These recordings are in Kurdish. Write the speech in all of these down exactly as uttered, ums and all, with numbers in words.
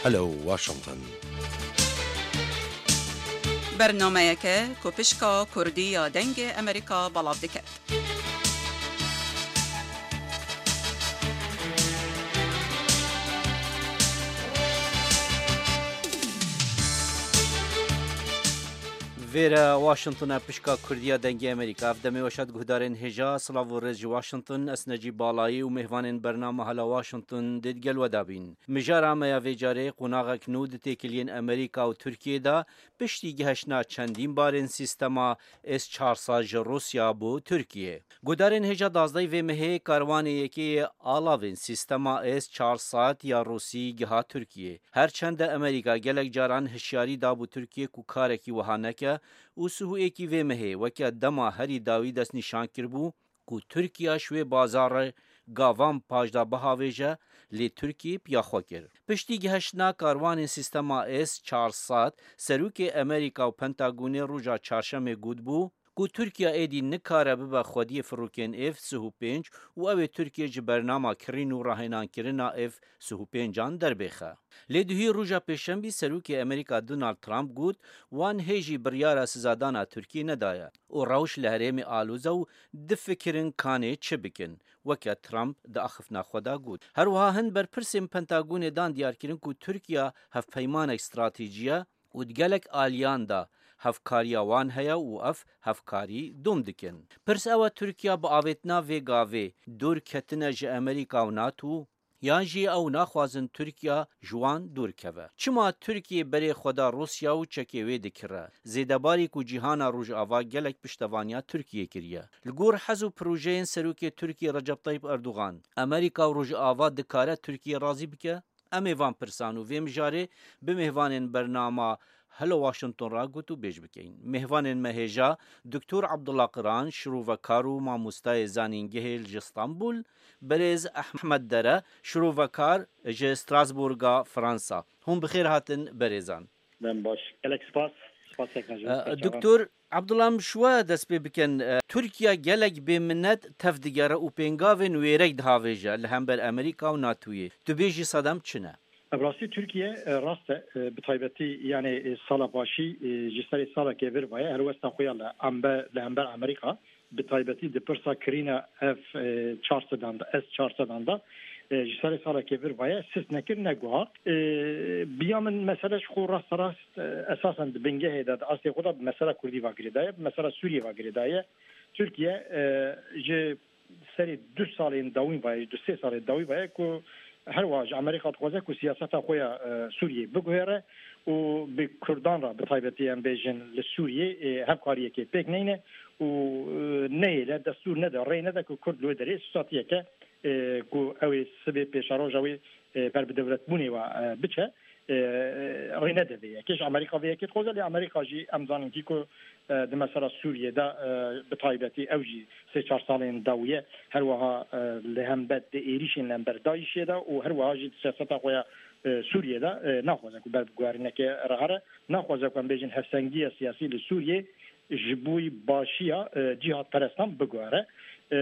Hello Washington. Bernameyeke ku pişka Kurdî ya Dengê Amerîka belav diket. Vêre Washington e, pişka Kurdiya Dengê Amerîka. Ev demê weşat guhdarên hêja, silav û rêz ji Washington, ez Necîb Balayî û mêhvanên bernama Hela Washington dê digel we de bîn. Mijara me ya vê carê qonaxek nû di têkiliyên Amerîka û Tirkiyê de piştî gihiştina çendîn barên sîstema S çar sed ji Rûsya bo Tirkiye. Guhdarên hêja, dazdehê vê mehê karwanê yekê yê alavên sîstema S çar sed ya Rûsî giha Tirkiye. Her çende Amerîka gelek caran hişyarî dabû Tirkiye ku karekî wiha neke û sihû êkî vê mehê weke dema herî dawî destnîşan kiribû ku Tirkiya ji wê bazarê gavan paş de bihavêje, lê Tirkiye piya xwe kir. Piştî gihiştina karwanên sîstema S çar sed, serokê Amerîka û Pentagonê roja çarşemê gotibû ku Tirkiya êdî nikare bibe xwediyê firokên F sih û pênc û ew ê Tirkiye ji bernama kirîn û rahênankirina F sih û pêncan derbêxe. Lê duhî roja pêşemî serokê Amerîka Donald Trump got, wan hê jî biryara sizadana Tirkiyê nedaye û rewş li herêmê aloz e û difikirin kanê çi bikin, weke Trump di axiftina xwe de got. Her wiha hin berpirsên Pentagonê dan diyarkirin ku Tirkiya hevpeymanek stratejî ye û di gelek aliyan de hevkariya wan heye û ev hevkarî dom dikin. Pirs ew e, Tirkiya bi avêtina vê gavê dûr ketine ji Amerîka û nato, yan jî ew naxwazin Tirkiya ji wan dûr keve? Çima Tirkiye berê xwe da Rûsya û çekê wê dikire? Zêdebarî ku cîhana Rojava gelek piştevaniya Tirkiye kiriye. Li gor hez û projeyên serokê Tirkiye Recep Tayyip Erdogan, Amerîka û Rojava dikare Tirkiye razî bike? Em ê van pirsan û vê mijarê bi mêhvanên bernama Hello Washington re gotûbêj bikeyin. Mêhvanên me hêja, Doktor Abdullah Qiran, şirovekar û mamostayê zanîngehê li ji Stenbul, berêz Ehmed Dere, şirovekar ji Strasbourga Fransa. Hûn bi xêr hatin berêzan. Dem baş. Gelek spas. Spas tekne ji E, pêşavan. Doktor Abdullah, em ji we dest pê bikin. E, Tirkiye gelek bêminet tev digere û pêngavên wêrek dihavêje li hember Amerîka û natoyê. Tu bêjî sedem çi ne? Bi rastî Tirkiye, e, rast e, e, bi taybetî, yani, e, sala başî, e, ji serê salekê vir vaye helwesta xwe ya li embe-, li hember Amerîka, bi taybetî di pirsa kirîna F, e, çar sedan de, S çar sedan de, e, ji serê salekê vir vaye sist nekir, neguhart. E, biya min mesele ji xwe rasterast, e, esasen di bingehê de, di astê xwe de bi mesela Kurdî ve girêdaye, bi mesela Sûriyê ve girêdaye. Tirkiye, e, ji serê du salên dawîn vaye, du sê salên dawî vaye ku her wiha ji Amerîka dixwaze ku siyaseta xwe ya, e, Sûriyê biguhere û bi Kurdan re, bi taybetî em bêjin li Sûriyê, e, hevkariyekê pêk neyne û, e, neyêle, destûr nede, rê nede ku Kurd li wê derê sosatiyeke, e, ku ew ê sibê pêşeroja wê, e, ber bi dewletbûnê ve, e, biçe, e, rê nede vê yekê. Ji Amerîka vê yekê dixwaze, lê Amerîka jî em zanin kî ku, e, di mesela Sûriyê de, e, bi taybetî ew jî sê çar salên dawî ye. Her wiha, e, li hember di êrîşên li hember DAIŞê de û her wiha jî di siyaseta xwe ya, e, Sûriyê de, e, naxwaze ku ber bi guherînekê re here. Naxwaze ku em bêjin hevsengiya siyasî li Sûriyê ji bo başiya, e, cîhadperestan biguhere. E,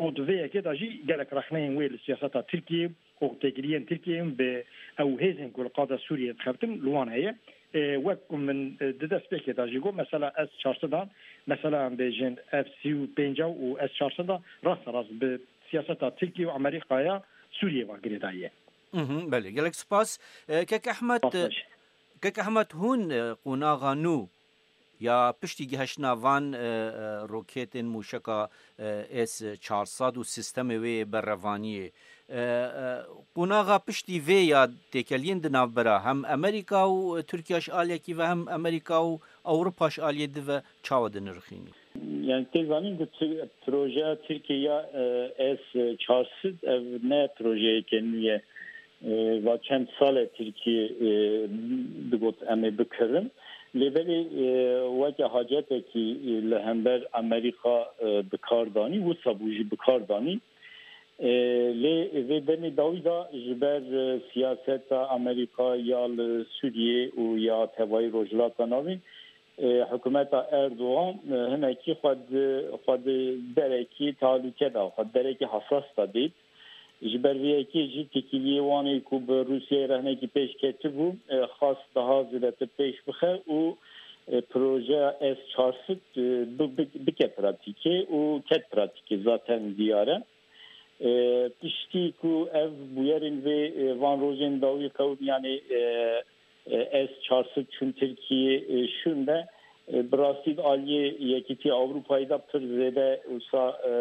û di vê yekê de jî gelek rexneyên wê li siyaseta Tirkiyê û têkiliyên Tirkiyeyê bi ew hêzên ku li qada Sûriyê dixebtin li wan heye. E, wek ku min, e, di destpêkê de jî got, mesela S çar sedan, mesela em bêjin F sî û pênc û S çar sedan rasterast bi siyaseta Tirkiye û Amerîkaya Sûriyê ve girêdayî ye. Mhm, belê, gelek spas. E, Kek Ehmed, Spas e, baş. Kek Ehmed, hûn, e, qonaxa nû ya piştî gihiştina van, e, e, roketên mûşeka, e, S çar sed û sîstemê wê berevaniyê, e, e, qonaxa piştî vê ya têkeliyên di navbera hem Amerîka û Tirkiya ji aliyekî ve hem Amerîka û Ewropa ji aliyê di ve çawa dinirxînî? Yani tê zanîn ku Tir-, projeya Tirkiye ya, e, S çar sed ev ne projeyeke nû ye. E, va çend sal e Tirkiye, e, digot em ê bikirin. Lê belê, e, weke hacetekî, e, li hember Amerîka, e, bi kar danî, wisa bû jî bi kar danî. E, lê vê demê dawî de ji ber, e, siyaseta Amerîka ya li Sûriyê û ya tevayî Rojhilata Navîn, e, hikûmeta Erdogan, e, hinekî xwe di, xwe di derekî tehlûke de, xwe di derekî hesas de dît. Ji ber vê yekê jî têkiliyê Wanê ku bi Rûsyayê re hinekî pêş ketibû, e, xwest daha zêdetir pêş bixe û, e, projeya S çar sed, e, bi-, bi-, bike pratîkê û ket pratîkê zaten diyar e. E, piştî ku ev bûyerên vê, e, van rojên dawî qewimiyanê, e, e, S çar sed çûn Tirkiyê, e, şûnde, e, bi rastî di aliyê Yekîtiya Ewropayê de pir zêde wisa, e,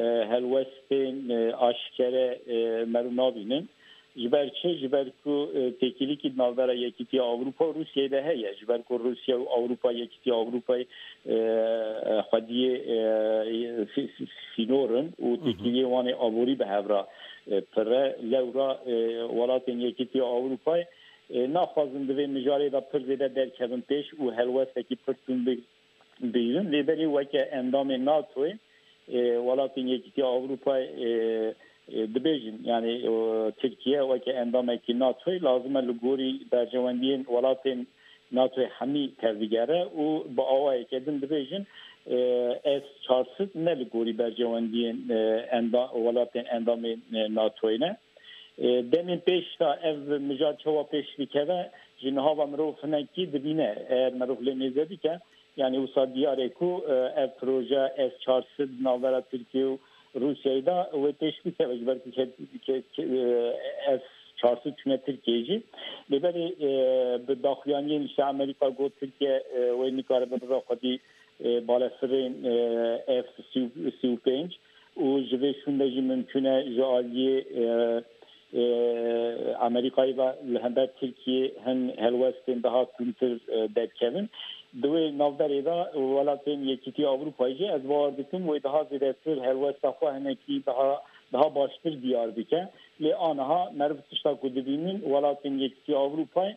e, helwestên, e, aşkere, e, meriv nabînin. Ji ber çi? Ji ber ku, e, têkilîkî di navbera Yekîtiya Ewropa û Rûsyayê de heye. Ji ber ku Rûsya û Ewropa, Yekîtiya Ewropayê, e, e, xwediyê, e, sî-, sî-, sînor in û Hı hı. têkiliyê wan ê aborî bi hev re, e, pir e. Lewra, e, welatên Yekîtiya Ewropayê, e, naxwazin di vê mijarê de pir zêde derkevin pêş û helwestekî pir tund bi-, bigrin. Lê belê weke endamê NATOyê, e, welatên Yekîtiya Ewropayê, e, e, dibêjin, yani, e, Tirkiye weke endamekî NATOyê lazim e li gorî berjewendiyên welatên NATOyê hemî tevbigere û bi awayeke din dibêjin, e, S çar sed ne li gorî berjewendiyên, e, enda-, welatên endamên, e, NATOyê ne. E, demên pêş de ev mijar çawa pêş dikeve, ji niha ve mirov hinekî dibîne. Eger mirov lê mêze bike, yani wisa diyar e ku, e, ev proje S çar sed di navbera Tirkiye û Rûsyayê de wê pêş bikeve, ji ber ku ke-, ke-, ke-, e, S çar sed çûne Tirkiye jî. Lê belê, e, bi daxuyaniyên işte Amerîka got Tirkiye, e, wê nikaribe bibe xwedî, e, balefirên, e, F sî û pênc û ji vê şûnde jî mimkûn e ji aliyê, e, e, Amerîkayê ve li hember Tirkiyê hin helwestên daha tundtir, e, derkevin. Di wê navberê de welatên Yekîtiya Ewropayê jî ez bawer dikim wê daha zêdetir helwesta xwe hinekî daha, daha baştir diyar bike. Lê aniha meriv tişta ku dibînin welatên Yekîtiya Ewropayê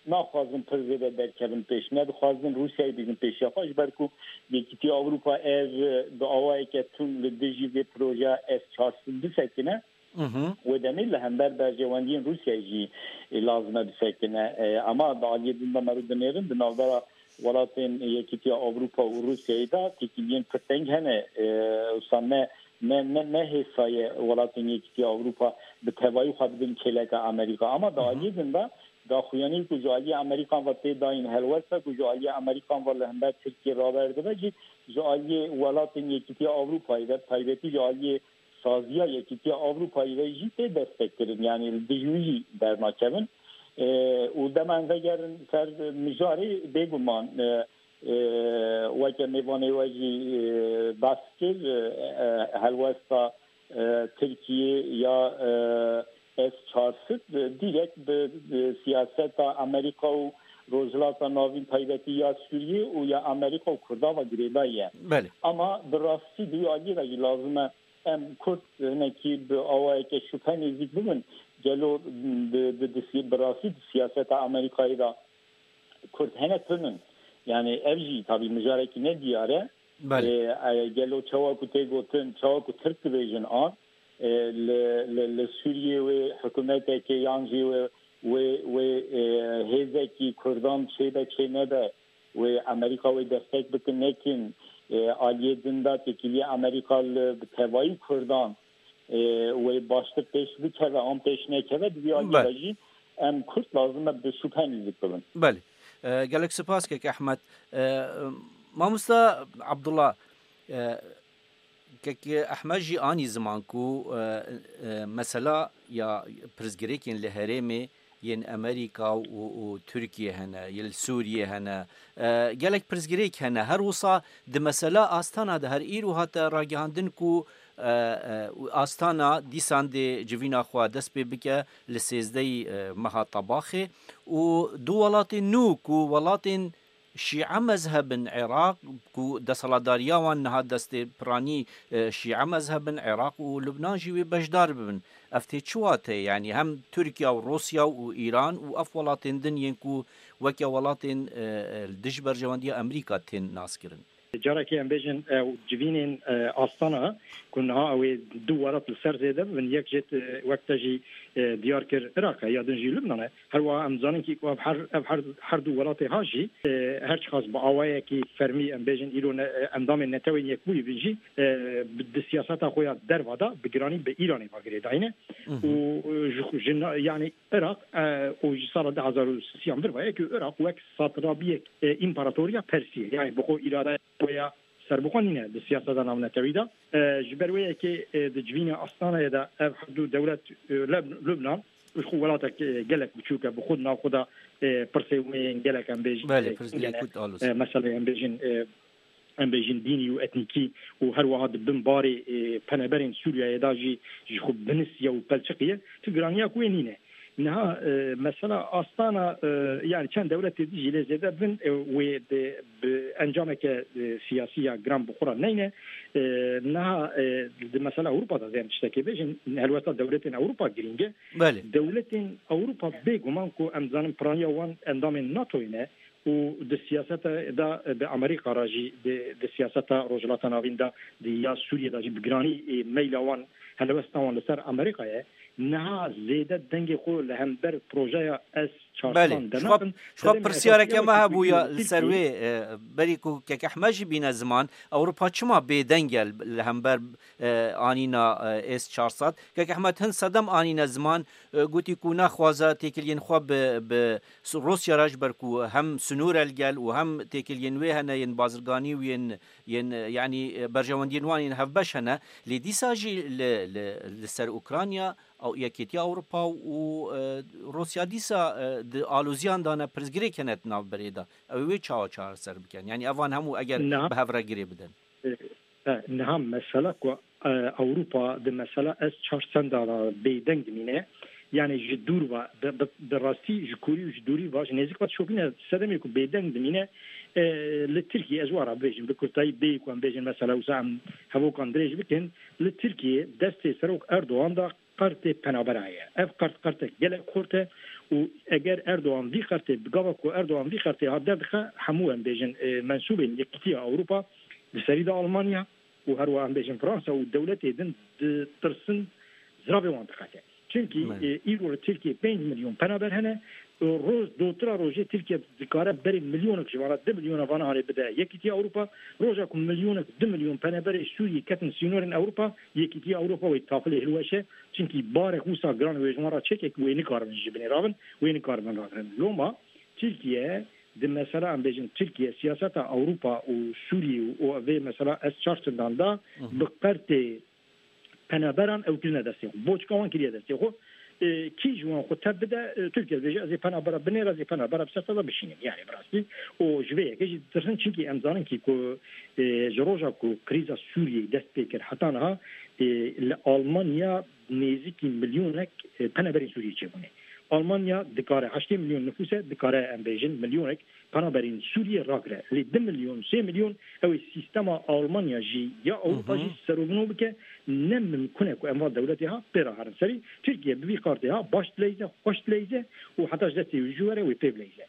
naxwazin pir zêde derkevin pêş, nedixwazin Rûsyayê bînin pêşiya xwe, ji ber ku Yekîtiya Ewropa ev bi awayeke tund li dijî vê projeya S çar sed bisekine, Mhm. wê demê li hember berjewendiyên Rûsyayê jî, e, lazim e bisekine. E, ama di aliyê din de meriv dinêrin, di navbera welatên Yekîtiya Ewropa û Rûsyayê de têkiliyên pir teng hene. E, wisa ne, ne, ne, ne hêsa ye welatên Yekîtiya Ewropa bi tevayî xwe bidin kêleka Amerîka. Ama di Hı hı. aliyê din de daxuyanî ku ji aliyê Amerîkan ve tê dayîn helwest e ku ji aliyê Amerîkan ve li hember Tirkiyê raber dibe jî ji aliyê welatên Yekîtiya Ewropayê ve, taybetî ji aliyê saziya Yekîtiya Ewropayê ve jî tê destekkirin. Yani li dijî wî jî dernakevin. E, û dema em vegerin ser mijarê, bêguman, e, e, weke mêvanê we jî, e, behs kir, e, e, helwesta, e, Tirkiyê ya, e, S çar sed, e, direkt bi, bi siyaseta Amerîka û Rojhilata Navîn, taybetî ya Sûriyê û ya Amerîka û Kurdan ve girêdayî ye. Belê. Ama bi rastî di wî aliyê de jî lazim e em Kurd hinekî bi awayeke şubhe nêzîk bibin. Gelo di, di, di si-, bi rastî di siyaseta Amerîkayê de Kurd hene tun in. Yani ev jî tabî mijarekî ne diyar e. Belê. E, e, gelo çawa ku tê gotin, çawa ku Tirk dibêjin an, e, li, li, li Sûriyê wê hikûmetekê yan jî wê, wê, wê, e, hêzekî Kurdan çêbe çê nebe, wê Amerîka wê destek bikin nekin, e, aliyê din de têkiliyê Amerîka li bi tevayî Kurdan, e, wê baştir pêş bikeve an pêş nekeve, di vî aliyê Be. de jî em Kurd lazim e bi şubhe nêzîk bibin. Belê. E, gelek spas kek Ehmed. E, mamosta Abdullah, e, kek Ehmed jî anî ziman ku, e, e, mesela ya pirsgirêkên li herêmê yên Amerîka û, û Tirkiye hene, yên li Sûriye hene. E, gelek pirsgirêk hene. Her wisa di mesela Astana de her îro hate ragihandin ku, e, e, Astana dîsan dê civîna xwe dest pê bike li sêzdehî, e, meha Tebaxê û du welatên nû ku welatên Şîe mezheb in Iraq, ku desthilatdariya wan niha destê piranî, e, Şîe mezheb in Iraq û Lubnan jî wê beşdar bibin. Ev tê çi wateyê? Yanî hem Tirkiye û Rûsya û Îran û ev welatên din yên ku weke welatên, e, e, li dij berjewendiya Amerîka tên naskirin. Carekê em bêjin, e, civînên, e, Astana ku niha ew ê du welat li ser zêde bibin, yek jê, e, wek te jî, e, diyar kir, Iraq e, ya din jî Lubnan e. Her wiha em zanin kî ku ev her, ev her, her du welatê ha jî, e, her çiqas bi awayekî fermî, em bêjin, îro ne, e, endamên Netewên Yekbûyî bin jî, e, bi, di siyaseta xwe ya derva de bi giranî bi Îranê ve girêdayî ne. Û, e, ji, ji na-, yanî Iraq, e, û ji sala du hezar û sisiyan vir ve ye ku Iraq wek satrabiyek, e, împaratoriya Persî ye. Yanî bi xwe îradeya xwe ya serbixwe nîne di siyaseta navnetewî de. E, ji ber wê yekê, e, di civînê Astanayê de ev her du dewlet, e, Leb-, Lubnan, ji xwe welatek, e, gelek biçûk e, bi xwe di nav xwe de, e, pirsê wê yên gelek em bêjin, Belê, e, pirsgirêk hene, kurt alozî. E, meselê em bêjin, e, em bêjin dînî û etnîkî û her wiha di bin barê, e, peneberên Sûriyeyê de jî ji xwe binisiye û pelçiqiye, tu giraniya ku wê nîne. Niha, e, mesela Astana, e, yani çend dewletê dijî lê zêde bin, e, wê de bi encameke, e, siyasî ya giran bi xwe re neyne. E, niha, e, di mesela Ewropa de zên tiştekê bêjin, helwesta dewletên Ewropa girîng e. Belê. Dewletên Ewropa bêguman ku em zanin piraniya wan endamên NATOyê ne û di siyaseta de bi Amerîka re jî, di, di siyaseta Rojhilata Navîn de, di ya Sûriyê de jî bi giranî, e, meyla wan, helwesta wan li ser Amerîka ye. Niha zêde dengê xwe li hember projeya S çar Belê. Ji xwe, ji xwe pirsyareke me hebû ya li ser wê, e, berî ku kek Ehmed jî bîne ziman, Ewropa çima bêdeng e li hember, e, anîna, e, S çar sed? Kek Ehmed hin sedem anîne ziman, e, gotî ku naxwaze têkiliyên xwe bi, bi Rûsya re, ji ber ku hem sinûr e li gel û hem têkiliyên wê hene yên bazirganî û yên, yên, e, yanî, e, berjewendiyên wan yên hevbeş hene. Lê dîsa jî li, li, li ser Ukrayna, Ew, Yekîtiya Ewropa û, e, Rûsya dîsa, e, di aloziyan de ne, pirsgirêk hene di navberê de. Ew ê wê çawa çareser bikin? Yanî evan hemû eger Niha bi hev re girê bidin. E, e, niha mesela ku, e, Ewropa di mesela S çar sed de bêdeng dimîne, yanî ji dûr ve, bi, bi, bi rastî ji kûrî û ji dûrî ve, ji nêzik ve dişopîne sedemê ku bêdeng dimîne, e, li Tirkiye, ez wara bibêjim, bi kurtayî bêyî ku em bêjin mesela wisa em hevokan dirêj bikin, li Tirkiye destê Serok Erdogan de qertê penabera heye. Ev qert qertek gelek xurt e û eger Erdogan vî qertê, bi gava ku Erdogan vî qertê hat derdixe, hemû em bêjin, e, mensûbên Yekîtiya Ewropa, di serî de Almanya û her wiha em bêjin Fransa û dewletê din ditirsin, ziravê wan diqete. Çimkî, Belê. e, îro li Tirkiye pênc milyon penaber hene, Roj, dotira rojê Tirkiye dikare berê milyonek ji vana, du milyona vana hanê bide Yekîtiya Ewropa. Roja ku milyonek, du milyon peneberê Sûriyê ketin sînorên Ewropa, Yekîtiya Ewropa wê tafilê hilweşe. Çimkî barek wisa giran wê ji wan re çêke ku wê nikaribin ji binê rabin, wê nikaribin ragirin. Loma Tirkiye di mesela em bêjin Tirkiye siyaseta Ewropa û Sûriyê û, û vê mesela S çar çindan da Hı hı. bi qertê penaberan ew kirine destê xwe. Boçka wan kiriye destê xwe. E, kî ji wan xwe tev bide, e, Tirkiye dibêje, ez ê penabera binêre, ez ê penabera bi ser te de bişînim. Yani bi rastî. Û ji vê yekê jî ditirsin, çimkî em zanin kî ku, e, ji roja ku krîza Sûriyeyê dest pê kir heta niha, e, li Almanya nêzîkî milyonek, e, penaberên Sûriyê çêbûne. Almanya dikare heştê milyon nifûs e, dikare em bêjin milyonek penaberên Sûriyê ragire. Lê du milyon, sê milyon ew ê sîstema Almanya jî ya Ewropa Hı hı. jî serobino bike, ne mimkun e ku em van dewletê ha pê re herin serî. Tirkiye bi vî qartê ha baş dileyze, xweş dileyze û heta ji destê wî jû were wê pê bileyze.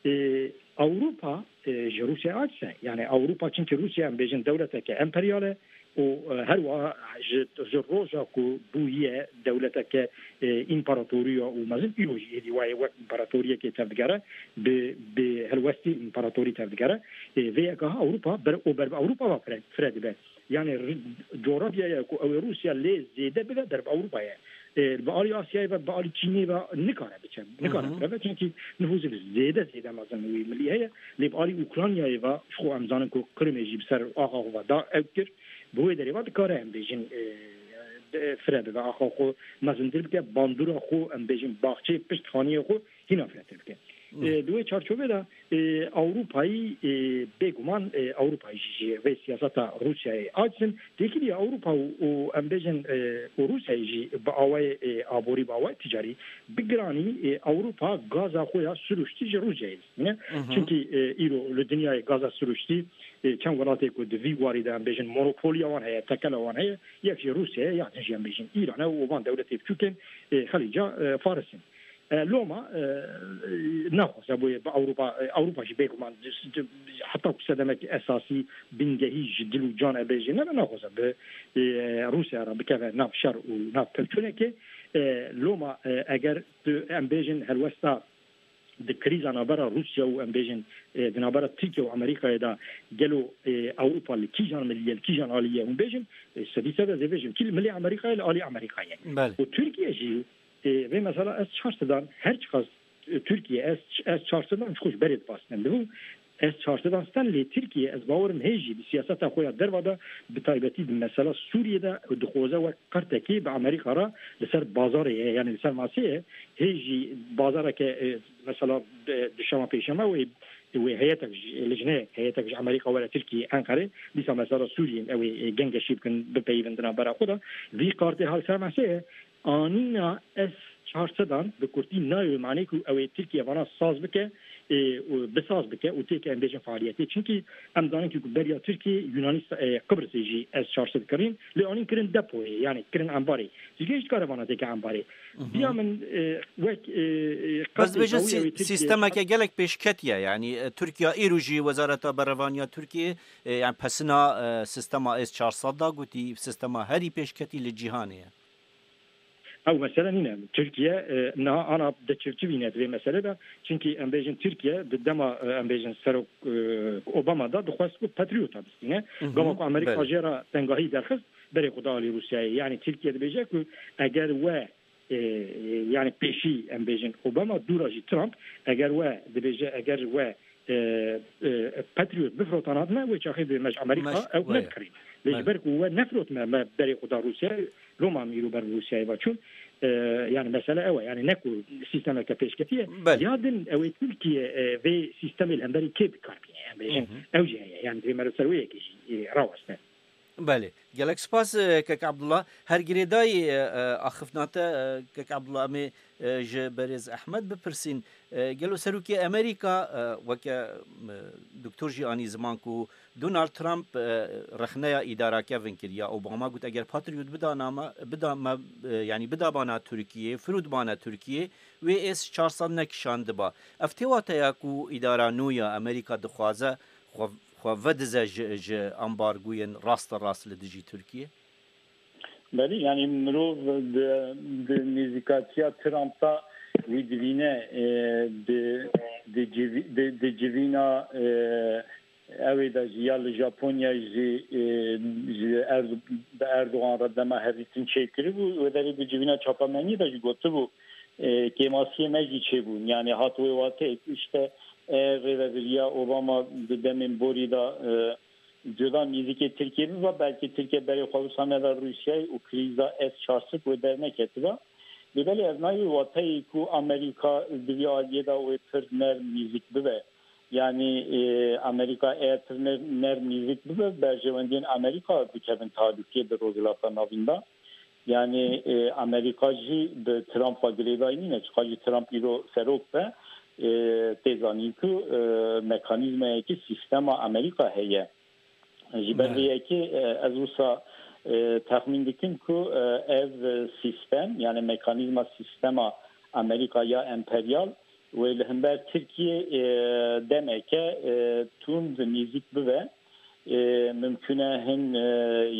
Ê, Ewropa, e, ji Rûsyayê aciz e. Yani Ewropa, çimkî Rûsya em bêjin dewleteke emperyal e, û, e, her wiha ji, ji roja ku bûye dewleteke, e, împaratoriya û mezin, îro jî êdî wayê wek împaratoriyekê tevdigere, bi, bi helwestî împaratorî tevdigere. E, vê yeka ha Ewropa ber, û ber bi Ewropa ve fire, fire dibe. Yani ri-, coğrafyaya ku ew ê Rûsya lê zêde bibe ber bi Ewropa ye. E, bi alî Asyayê ve, bi alî Çînê ve nikare biçe. Nikare Hı hı. fire be, çimkî nifûsê zêde, zêde mezin wî milî heye. Lê bi alî Ukraynayê ve, ji xwe em zanin ku Qrimê jî bi ser axa xwe ve da ew kir. Bi wê derê ve dikare em bêjin, e, de-, fire bibe, axa xwe mezintir bike, bandora xwe em bêjin, baxçeyê pişt xaniyê xwe hîna firehtir bike. Hı. E, di wê çarçovê de, e, Ewropayî, e, bêguman, e, Ewropayî jî ji vê siyaseta Rûsyayê aciz in. Têkiliya Ewropa û, û em bêjin, e, û Rûsyayê jî bi awayê, e, aborî, bi awayê ticarî, bi giranî, e, Ewropa gaza xwe ya siruştî ji Rûsyayê distîne. Hı hı. Çimkî, e, îro li dinyayê gaza siruştî, e, çend welatê ku di vî warî de em bêjin monopoliya wan heye, tekela wan heye, yek jî Rûsya ye, ya din jî em bêjin Îran e û van dewletê biçûkên, e, Xelîca, e, Faris in. E, Loma, e, e, naxwaze boye bi Ewropa, e, Ewropa jî bêguman, heta ku sedemek esasî, bingehî ji dil û can e bêjê, ne, ne, naxwaze bi, e, Rûsya re bikeve nav şer û nav pevçûnekê. E, Loma, e, eger tu, em bêjin, helwesta di krîza navbera Rûsya û, em bêjin, e, di navbera Tirkiye û Amerîkayê de gelo, e, Ewropa li kîjan milî ye, li kîjan alî ye, hûn bêjin, e, sedî sed ez ê bêjim, kî li milê Amerîkayê, li alî Amerîkayê. Belê. Û Tirkiye jî, e, vê mesela ez çar sedan, her çiqas, e, Tirkiye, ez, ez çar sedan ji xwe ji berê dibastin dibû. Ez çar sedan sten lê Tirkiye, ez bawerim hê jî di siyaseta xwe ya derva de, bi taybetî di mesela Sûriyê de dixwaze wek qertekê bi Amerîka re li ser bazarê ye, yani li ser masê ye. Hê jî bazareke, e, mesela, e, duşema pêşema wê, wê heyetek ji, lijneyek, heyetek ji Amerîka were Tirkiye, Enqerê, dîsa mesela Sûriyê ew ê, e, gengeşî bikin, bipeyivin di navbera xwe de. Vî kartê ha li ser masê ye. Anîna S çar sedan bi kurtî nayê manê ku ew ê Tirkiye vana saz bike, e, û bisaz bike û têke em bêjin faaliyetê. Çimkî em zanin ku beriya Tirkiye Yunanî, e, Qibrisê jî S çar sed kirîn, lê anîn kirin depoyê, yani kirin embarê. Tirkiye jî dikare vana têke embarê. Diya min, e, wek, e, e, Bes qasê dibêjin dawî ew ê sî-, Tirkiye sîstemeke gelek pêşketî ye. Yani, e, Tirkiye îro jî Wezareta Berevaniya Tirkiye, e, yani pesina, e, sîstema S çar sed da gotî, sîstema herî pêşketî li cîhanê ye. Ew mesele nîne. Tirkiye, e, niha ana diçivçivîne di vê mesele de. Çimkî em bêjin Tirkiye di dema, e, em bêjin Serok, e, Obama de dixwest ku Patriota bistîne. Gava ku Amerîka jê re tengahî derxist, berê xwe da alî Rûsyayê. Yani Tirkiye dibêje ku eger we, e, yani pêşî em bêjin Obama, dûra jî Trump, eger we dibêje, eger we, e, e, Patriot bifrotanatme, wê çaxê dibê me ji Amerîka ew nedikirîn. Lê ji ber ku we nefrotme, me berê xwe da Rûsyayê, Loma em îro ber bi Rûsyayê ve çûn. E, yani mesele ew e. Yani ne ku sîstemeke pêşketî ye. Ya din ew ê Tirkiye, e, vê sîstemê li hemberî kê bi kar bîne? Em bêjin ew jî heye. Yani divê me li ser wê yekê jî, e, raweste. Belê. Gelek spas, e, Kek Abdullah. Her girêdayî, e, e, axiftina te, e, Kek Abdullah, em ê, e, ji berêz Ehmed bipirsîn. E, gelo Serokê Amerîka, e, weke, e, doktor jî anî ziman ku Donald Trump, e, rexneya îdara Kevin kir ya Obama, got, eger Patriot bidana me, bida me, e, yanî bida bana Tirkiyê, firût bana Tirkiyê, wê S çar sed nekişandiba. Ev tê wateya ku îdara nû ya Amerîka dixwaze xwe, xwe vedize ji, ji ambargoyên rasterast li dijî Tirkiyê? Belê, yani mirov di, di nêzîkatiya Trump de wî divîne, e, di, di civî-, di, di civîna, e, ew ê de jî ya li Japonya jî, e, ji Erdo-, bi Erdogan re dema hevdîtin çêkiribû, wê derê di civîna çapemeniyê de jî gotibû, e, kêmasiyê me jî çêbûn. Yani hat wê wateyê ku işte, e, rêvebiriya Obama di demên borî de, e, cuda nêzîkê Tirkiyê bibe, belkî Tirkiye berê xwe wisa neda Rûsyayê û krîza S çar sed wê derneketiba. Lê belê ev nayê wateyê ku Amerîka di vî aliyê de wê pir nerm nêzîk bibe. Yani, e, Amerîka eger pir ner-, nerm nêzîk bibe, berjewendiyên Amerîka dikevin talûkê di Rojhilata Navîn de. Yani, e, Amerîka jî bi Trump ve girêdayî nîne, çiqa jî Trump îro serok be, e, tê zanîn ku, e, mekanîzmayekî sîstema Amerîka heye. Ji ber vê yekê, e, ez wisa, e, texmîn dikim ku, e, ev sîstem, yani mekanîzma sîstema Amerîka ya emperyal, wê li hember Tirkiyê, e, demeke, e, tund nêzîk bibe. E, mimkun e hin, e,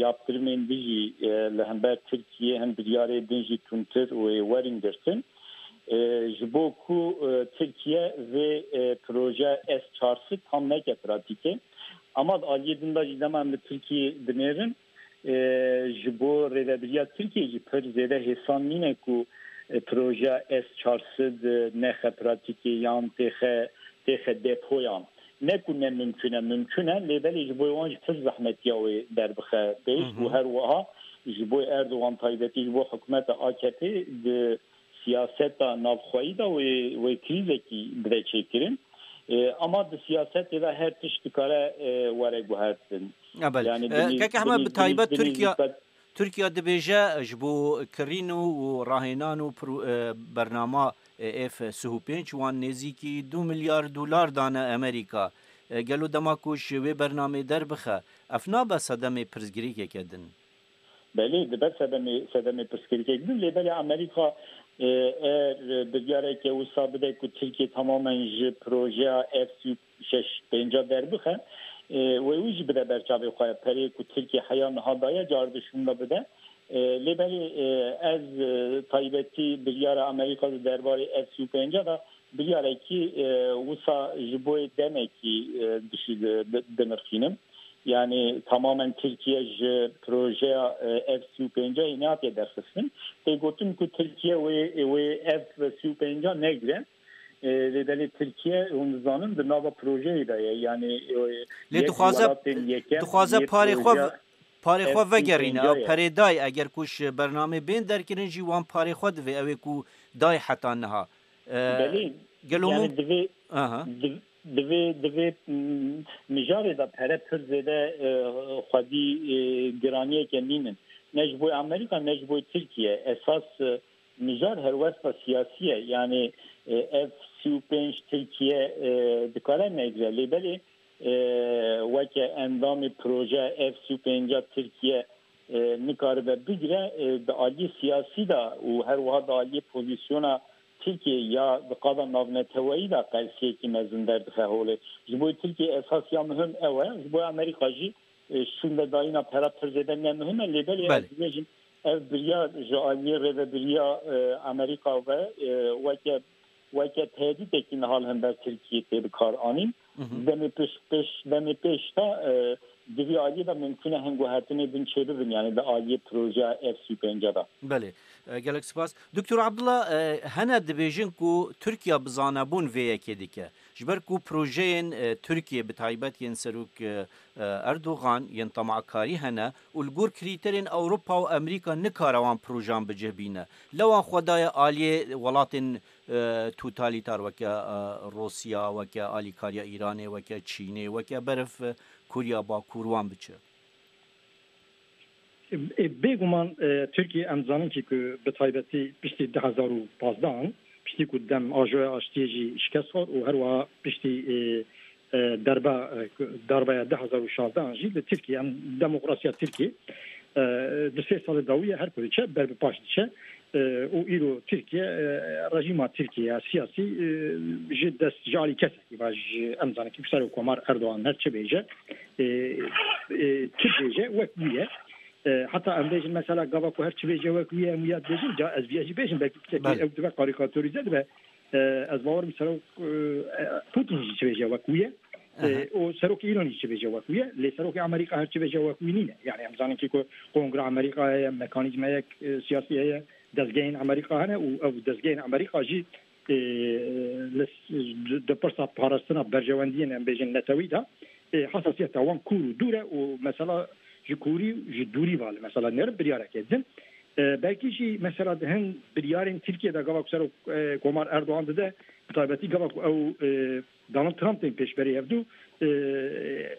yaptirimên din jî, e, li hember Tirkiyê, hin biryarê din jî tundtir wê werin girtin. E, ji bo ku, e, Tirkiye vê, e, proje S çar sed tam neke pratîkê. Ama di aliyê din de jî dema em li Tirkiyê dinêrin, e, ji bo rêvebiriya Tirkiyê jî pir zêde hêsan nîne ku, e, proje S çar sed, e, nexe pratîkê yan têxe, têxe depoyan. Ne ku ne mimkun e, mimkun e, lê belê ji bo wan jî pir zehmetiya wê derbixe pêş û her wiha ji bo Erdogan taybetî ji bo hikûmeta A K P di siyaseta navxweyî de wê, wê krîzekî bide çêkirin. E, ama di siyasetê de her tişt dikare, e, were guhertin. Ya belê. Yani E, binî-, Kek Ehmed, binî-, bi taybet binî-, Tirkiye, binî-, Tirkiye dibêje ji bo kirîn û, û rahênan û pro-, e, bernama, e, F sih û pênc wan nêzîkî du milyar dolar dane Amerîka. E, gelo dema ku ji wê bernamê derbixe, ev nabe sedemê pirsgirêkeke din? Belê, dibe sedemê, sedemê pirsgirêkek din, lê belê Amerîka, e, eğer biryareke wisa bide ku Tirkiye tamamen ji projeya F sî û şeş pênca derbixe, e, wê wî jî bide ber çavê xwe. Perê ku Tirkiye heya niha daye, car dişûnda bide. E, lê belê, e, ez, e, taybetî biryara Amerîka di derbarê F sî û pênca de biryarekî, e, wisa ji bo demekî, e, dişî-, di-, dinirxînim. Yani tamamen Tirkiye ji projeya, e, F sî û pênca yê nehatiye derxistin. Tê gotin ku Tirkiye wê, wê F sî û pênca negire. E, lê belê Tirkiye, hûn dizanin, di nava projeyê de ye. Yani, e, Lê yek dixwaze, welatên yekem dixwaze yê parê xwe projeya v-, parê xwe F sî û pênca vegerîne. Ew ye. Perê day, eger ku ji bernamê bên derkirin jî wan parê xwe divê. Ew ê ku day heta niha. E, Belê, gelo yani mum-, divê, Aha. div-, divê, divê, mm, mijarê de pere pir zêde, e, xwedî, e, giraniyeke nînin. Ne ji bo Amerîka, ne ji bo Tirkiye. Esas, e, mijar helwesta siyasî ye. Yani, e, F sî û pênc Tirkiye, e, dikare negire. Lê belê, e, weke endamê proje F sî û pênca Tirkiye, e, nikaribe bigire, e, di aliyê siyasî de û her wiha di aliyê pozîsyona Tirkiye ya di qada navneteweyî de qelsiyekî mezin derdixe holê. Ji bo Tirkiye esas ya muhim ew e, ji bo Amerîka jî, e, şûndedayîna pera pir zêde ne muhim e, lê belê Belê. ez dibêjim ev biryar ji aliyê rêvebiriya, e, Amerîka ve, e, weke, weke tehdîtekî niha li hember Tirkiyê tê bi kar anîn. Hı hı. Demê pêş, pêş, demê pêş de, e, di vî aliyê de mimkun e hin guhertinê din çêbibin, yani di aliyê projeya F sî û pênca de. Belê. E, gelek spas. Doktor Abdullah, e, hene dibêjin ku Tirkiye bi zanebûn vê yekê dike. Ji ber ku projeyên, e, Tirkiye, bi taybet yên Serok, e, e, Erdogan, yên temakarî hene û li gor krîterên Ewropa û Amerîka nikare wan projeyan bi cih bîne. Lewan xwe daye aliyê welatên, e, totalîtar weke, e, Rûsya, weke alîkariya Îranê, weke Çînê, weke berf, e, Koriya Bakur wan biçe. E, bêguman, e, Tirkiye em zanin ki ku bi taybetî piştî du hezar û pazdeh an, piştî ku dem ajoya aştiyê jî şikest xwar û her wiha piştî, e, e, derbe, e, darbeya du hezar û şazdeh an jî li Tirkiye, em demokrasiya Tirkiye, e, di sê salê dawî ye her ku diçe ber bi paş diçe, e, û îro Tirkiye, e, rejîma Tirkiye ya siyasî, e, ji dest, ji alî kesekî va ji, em zanin ki Serok Komar Erdogan her çi bêje, e, e, çi bêje wek wî ye. E, heta em bêjin mesela gava ku her çi bêje wek wî ye, em wî ya dibêjin, ca ez vî ya jî bêjim, belkî piçekî Belê. ew dibe karîkatorîze dibe. E, ez bawerim Serok, e, Putin jî çi bêje wek wî ye. E, Aha. û Serokê Îranê jî çi bêje wek wî ye. Lê Serokê Amerîka her çi bêje wek wî nîne. Yani em zanin ki ku Kongra Amerîka heye, mekanîzmayek, e, siyasî heye, dezgehên Amerîka hene û ev dezgehên Amerîka jî, e, li s-, di, di pirsa parastina berjewendiyên, em bêjin, netewî de, e, hesasiyeta wan kûr û dûr e û mesela ji kûrî, ji dûrî va li mesela nerin biryareke din. E, belkî jî mesela di hin biryarên Tirkiye de gava ku Serok, e, Komar Erdogan dide, bi taybetî gava ku ew, e, Donald Trump tên pêşberî hevdû, e,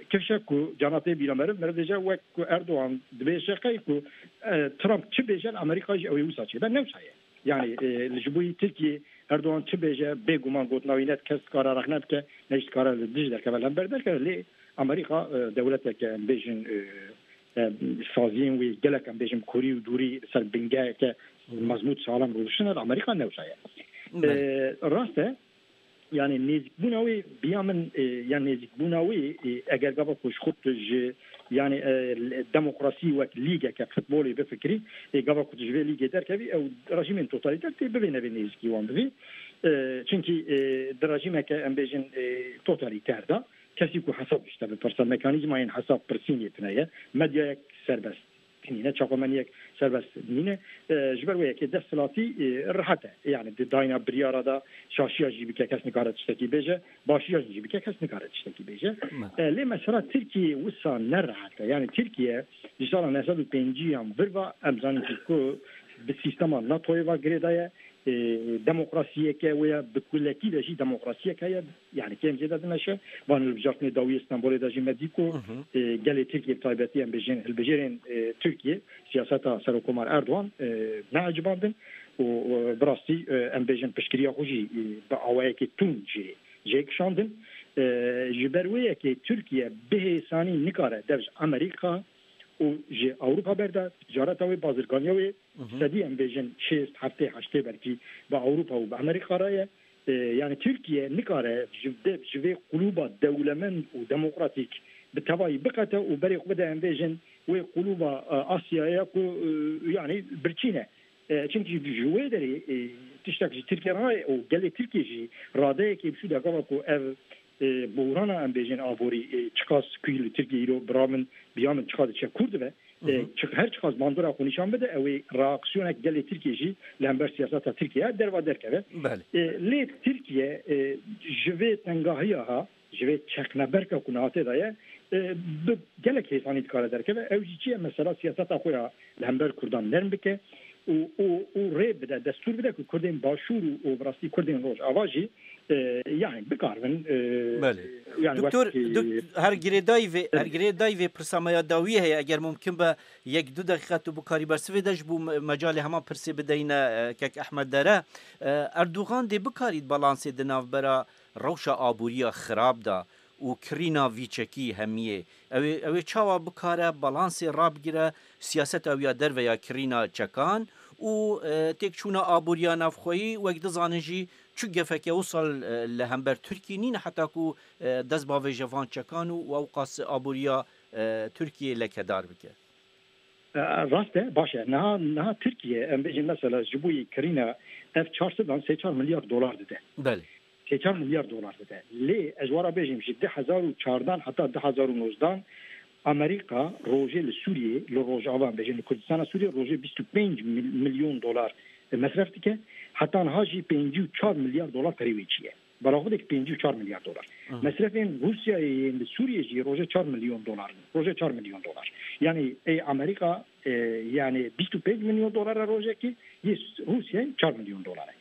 kifşe ku cana tê bîra meriv, meriv dêje wek ku Erdogan dibêje qey ku, e, Trump çi bêje li Amerîka jî ew ê wisa çêbe, ne wisa ye. Yani, e, li ji bo yî Tirkiye Erdogan çi bêje, bêguman gotina wî ne kes dikare rexne bike, ne jî dikare li dij derkeve, li hember derkeve. Lê Amerîka, e, dewleteke, em bêjin, e, e, saziyên wî gelek, em bêjin, kurî û dûrî li ser bingeheke mezmût salam rûdiştine, li Amerîka ne wisa ye. Belê. E, rast e, yani nêzîkbûna wê, biya min, e, ya nêzîkbûna wê, e, eger gava ku ji xwe tu ji, yani, e, demokrasî wek lîgeke futbolê bifikirî, e, gava ku tu ji vê lîgê derkevî, ew rejîmên totalîter tê bivê nevê nêzîkî wan bivî. E, çunkî, e, di rejîmeke, em bêjin, e, totalîter de, kesî ku hesab dişte bi pirsa, mekanîzmayên hesab pirsînê tune ye, medyayek serbest nîne, çapemeniyek serbest nîne. E, ji ber wê yekê desthilatî, e, rehet e. Yani di dayna biryara de şaşiya jî bike kes nikare tiştekî bêje, başiya jî bike kes nikare tiştekî bêje. Me. E, lê mesela Tirkiye wisa ne rehet e. Yani Tirkiye ji sala neh sed û pêncî yan vir ve em zanin ki ku bi sîstema NATOyê ve girêdaye. E, demokrasiyeke wê ya bi kulekî de jî demokrasiyek heye. Yani kêm zêde dimeşe. Van hilbijartinê dawiyê Stenbolê de jî me dî ku, Hı hı. e, gelê Tirkiye, bi taybetî em bêjin hilbijêrên, e, Tirkiye siyaseta Serokkomar Erdogan, e, neecibandin û, e, bi rastî, e, em bêjin piştgiriya xwe jî, e, bi awayekî tund jê, jê kişandin. E, ji ber wê yekê Tirkiye bi hêsanî nikare dev ji Amerîka û ji Ewropa berde, ticareta wê, bazirganiya wê sedî em bêjin şêst, heftê, heştê belkî bi Ewropa û bi Amerîka re ye. E, yani Tirkiye nikare ji, de, ji vê qulûba dewlemend û demokratîk bi tevayî biqete û berê xwe bide em bêjin wê qulûba, e, Asyaya ku, e, yani birçî ne. E, çimkî ji wê derê, e, tiştek ji Tirkiye re û gelê Tirkiye jî radeyekê bi şû de gava ku ev, e, buhrana em bêjin aborî, e, çiqas ku li Tirkiye îro bira min, biya min çiqas diçe kûr dibe. E, çi-, her çiqas bandora xwe nîşan bide, ew ê reaksiyonek gelê Tirkiye jî li hember siyaseta Tirkiye derva derkeve. Belê. E, lê Tirkiye, e, ji vê tengahiya ha, ji vê çekneberka ku niha tê de ye, e, bi gelek hêsanî dikare derkeve. Ew jî çi ye? Mesela siyaseta xwe ya li hember Kurdan nerm bike û, û, û rê bide, destûr bide ku Kurdên Başûr û, û bi rastî Kurdên Rojava jî, e, yani bikaribin, e, Belê. yani Doktor, wek, e, dok-, her girêdayî vê, her girêdayî vê pirsa me ya dawiyê heye. Eger mumkin be, yek du deqîqe tu bikarî bersivê de ji bo me-, mecalê hema pirsê bideyne, e, kek Ehmed Dere. E, Erdogan dê bikarî balansê di navbera rewşa aboriya xirab de û kirîna vî çekî hemiyê. Ew ê, ew ê çawa bikare balansê rabigire siyaseta wî ya derve ya kirîna çekan û, e, têkçûna aboriya navxweyî, wek dizanin jî çi gefeke wisa, e, li hember Tirkî nîne heta ku, e, dest bavêje van çekan û, û ewqas aboriya, e, Tirkiyê lekedar bike. E, rast e, baş e. Niha, niha Tirkiye, em bêjin mesela ji bo yê kirîna F çar sed an sê çar milyar dolar dide. Belê. Sê çar milyar dolar dide. Lê ez wara bêjim, ji du hezar û çardan heta du hezar û nozdan Amerîka rojê li Sûriyê, li Rojava, em bêjin li Kurdistana Sûriyê rojê bîst û pênc mil-, milyon dolar mesref dike. Heta niha jî pêncî û çar milyar dolar perê wê çiye. Balaxodek pêncî û çar milyar dolar. Mesrefên Rûsyayê yên li Sûriyê jî rojê çar milyon dolar in. Rojê çar milyon dolar. Yani ê Amerîka, e, yani bîst û pênc milyon dolar e rojekî, yê Rûsyayê çar milyon dolar e.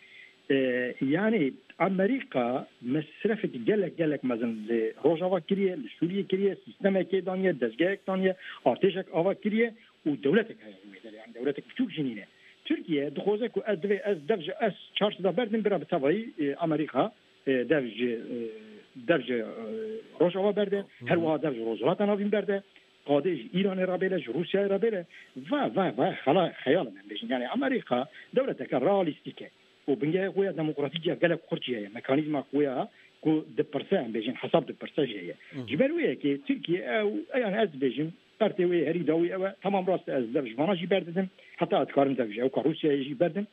E, yani Amerîka mesrefek gelek, gelek mezin li Rojava kiriye, li Sûriyê kiriye, sîstemekê daniye, dezgehek daniye, artêşek ava kiriye û dewletek heye wê derê, yani dewletek biçûk jî nîne. Tirkiye dixwaze ku ez divê ez dev ji S çar sed a berdim, bira bi tevayî, e, Amerîka, e, dev ji, e, dev ji, e, Rojava berde, her wiha dev ji Rojhilata Navîn berde, qadê ji Îranê re bêle, ji Rûsyayê re bêle. Va, va, va, xela-, xeyal in em bêjin. Yani Amerîka dewleteke realîstîk e û bingehê xwe ya demokratîk ya gelek xurt jî heye. Mekanîzma xwe ya ku dipirse, em bêjin, hesab dipirse jî heye. Ji ber wê yekê Tirkiye ew, yani ez dibêjim, pertê wê herî dawî ew e. Tamam, rast e, ez dev ji vana jî berdidim. Heta ez dikarim dev ji ewka Rûsyayê jî berdim.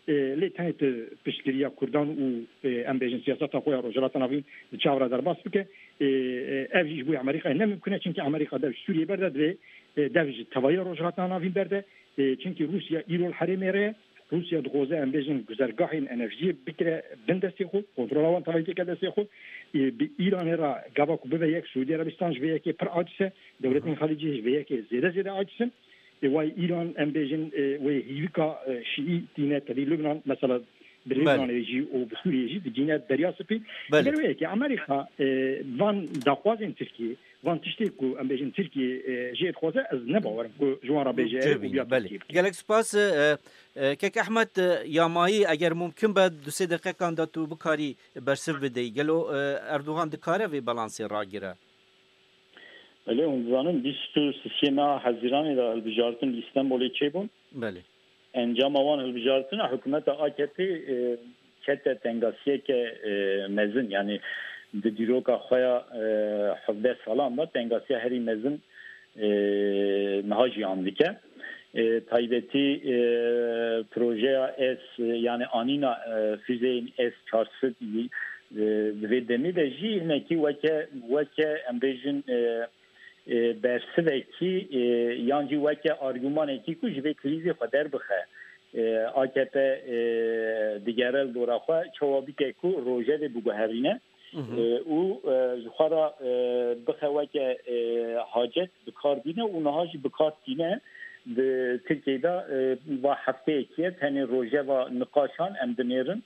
E, lê tenê tu piştgiriya Kurdan û, e, em bêjin siyaseta xwe ya Rojhilata Navîn di çav re derbas bike. E, e, ev jî ji bo Amerîkayê ne mimkun e, çimkî Amerîka dev ji Sûriyê berde, divê, e, dev ji tevahiya Rojhilata Navîn berde. E, çimkî Rûsya îro li herêmê re ye. Rûsya dixwaze, em bêjin, guzergahên enerjiyê bikire bin destê xwe, kontrola wan tevayî têke destê xwe. E, bi Îranê re gava ku bibe yek, Sûdî Erebistan ji vê yekê pir aciz e, dewletên Xelîcî ji vê yekê zêde zêde aciz in. E, way Îran, em bêjin, e, wê hîvika, e, Şîî tîne tevî Lubnan, mesela bi Belê. Lubnanê jî û bi Sûriyê jî digîne Derya Spî. Belê. Ji ber wê yekê Amerîka, e, van daxwazên Tirkiyê, van tiştê ku em bêjin Tirkiyê, e, jê dixwaze, ez ne bawer im ku ji wan re bêje Cevî, û ya belê. Tirkiyê bike. Gelek spas, e, e, kek Ehmed, e, Yamayî, eger mumkin be, du sê deqeqan de tu bikarî bersiv bideyî. Gelo, e, Erdogan dikare vê balansê ragire? Belê, hûn dizanin, bîst û sisê meha Hezîranê de hilbijartin li Îstenbolê çêbûn. Belê. Encama wan hilbijartina hikûmeta A K P, e, kete tengasiyeke, e, mezin, yani di dîroka xwe ya, e, hevdeh salan de tengasiya herî mezin, e, niha jî an dike. E, taybetî, e, projeya S, e, yani anîna, e, füzeyên S çar sed, e, di vê demê de jî hinekî weke, weke em bêjin, e, e, bersivekî, e, yan jî weke argûmanekî ku ji vê krîzê xwe derbixe. E, A K P, e, digere li dora xwe çawa bike ku rojevê biguherîne, Hı hı. e, û, e, ji xwe re, e, bixe weke, e, hacet bi kar bîne û niha jî bi kar tîne. Di Tirkiyeyê de, e, va hefteyekî ye, tenê rojeva niqaşan em dinêrin.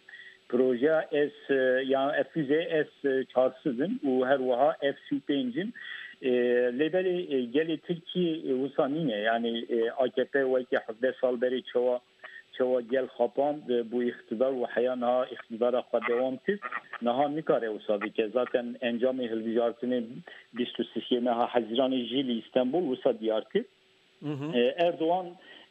Projeya S, e, ya F füze S çar sed in û her wiha F sî û pênc in. E, lê belê, e, gelê Tirkî, e, wisa nîne. Yani, e, A K P weke hevdeh sal berê çawa, çawa gel xapand, e, bû îqtidar û heya niha îqtidara xwe dewam kir. Niha nikare wisa bike. Zaten encamê hilbijartinê bîst û sisê meha Hezîranê jî li Îstenbul wisa diyar kir. Hı hı. E, Erdogan,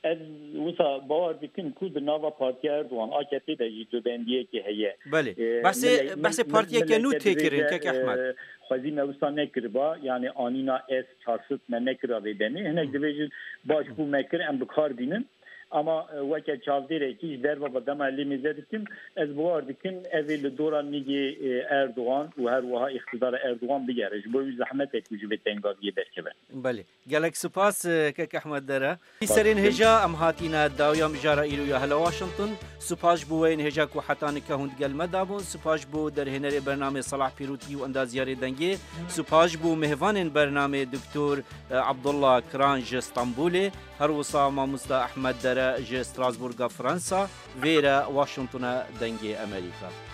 ez wisa bawer dikim ku di nava partiya Erdogan, A K P de jî cudendiyekê heye. Belê. E, Behsê, mile-, behsê mil-, partiyeke nû mileke tê kirin, dibêje, kek Ehmed. E, xwezî me wisa nekiriba, yani anîna S çar sed me nekira vê demê. Hinek Hı. dibêjin baş bû me kir, em bi kar bînin. Ama, e, weke çavdêrekî ji derva dema lê mêze dikim, ez bawer dikim, ev ê li dora nigê, e, Erdogan û her wiha îqtidara Erdogan bigere. Ji bo wî zehmet e ku ji vê tengaviyê derkeve. Belê. Gelek spas, e, kek Ehmed Dere. Serên hêja em hatîne dawiya mijara îro ya hela Washington. Spas bo weyên hêja ku heta nika hûn digel me dabûn. Spas bo derhênerê bernamê Salah Pîrotî û endaziyarê dengê. Spas bo mêvanên bernamê Doktor, e, Abdullah Kiran ji Stenbolê. Her wisa mamosta Ehmed Dere ji Strasbourga Fransa. Vêre Washingtona dengê Amerîka.